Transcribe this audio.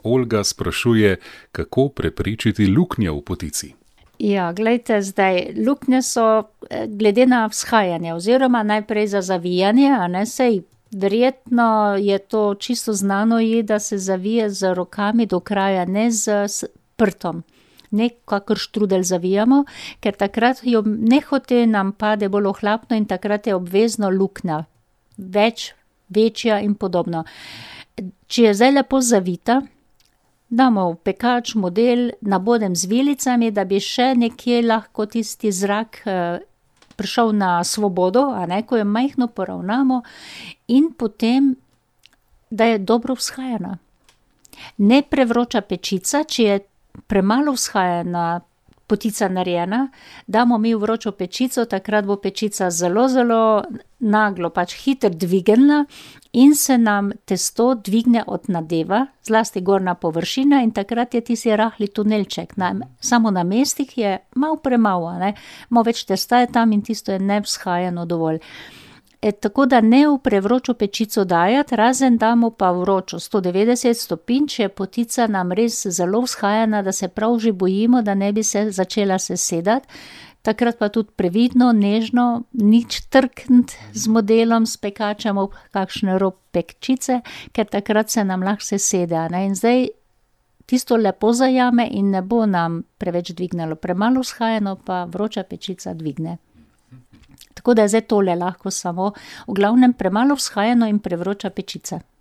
Olga sprašuje, kako preprečiti luknje v potici. Ja, glejte, zdaj, luknje so glede na vzhajanje oziroma najprej za zavijanje, a ne, sej verjetno je to čisto znano je, da se zavije z rokami do kraja, ne s prtom. Ne kakor štrudelj zavijamo, ker takrat jo nehote nam pade bolj ohlapno in takrat je obvezno luknja. Več, večja in podobno. Če je zdaj lepo zavita, damo v pekač model, nabodem z vilicami, da bi še nekje lahko tisti zrak prišel na svobodo, a ne, ko jo majhno poravnamo in potem, da je dobro vzhajana. Ne prevroča pečica, če je premalo vzhajana potica narejena, damo mi v vročo pečico, takrat bo pečica zelo, zelo naglo, pač hitro dvignila in se nam testo dvigne od nadeva, zlasti gornja površina in takrat je tisti rahli tunelček. Samo na mestih je malo premalo, ne, malo več testa je tam in tisto je nevzhajano dovolj. Tako da ne v prevročo pečico dajati, razen damo pa vročo 190 stopinj, če je potica nam res zelo vzhajana, da se prav že bojimo, da ne bi se začela sesedati. Takrat pa tudi previdno, nežno, nič trkniti z modelom, s pekačem ob kakšne rob pečice, ker takrat se nam lahko sesede, ne, in zdaj tisto lepo zajame in ne bo nam preveč dvignilo. Premalo vzhajano pa vroča pečica dvigne. Tako da je zdaj tole lahko samo, v glavnem premalo vzhajano in prevroča pečica.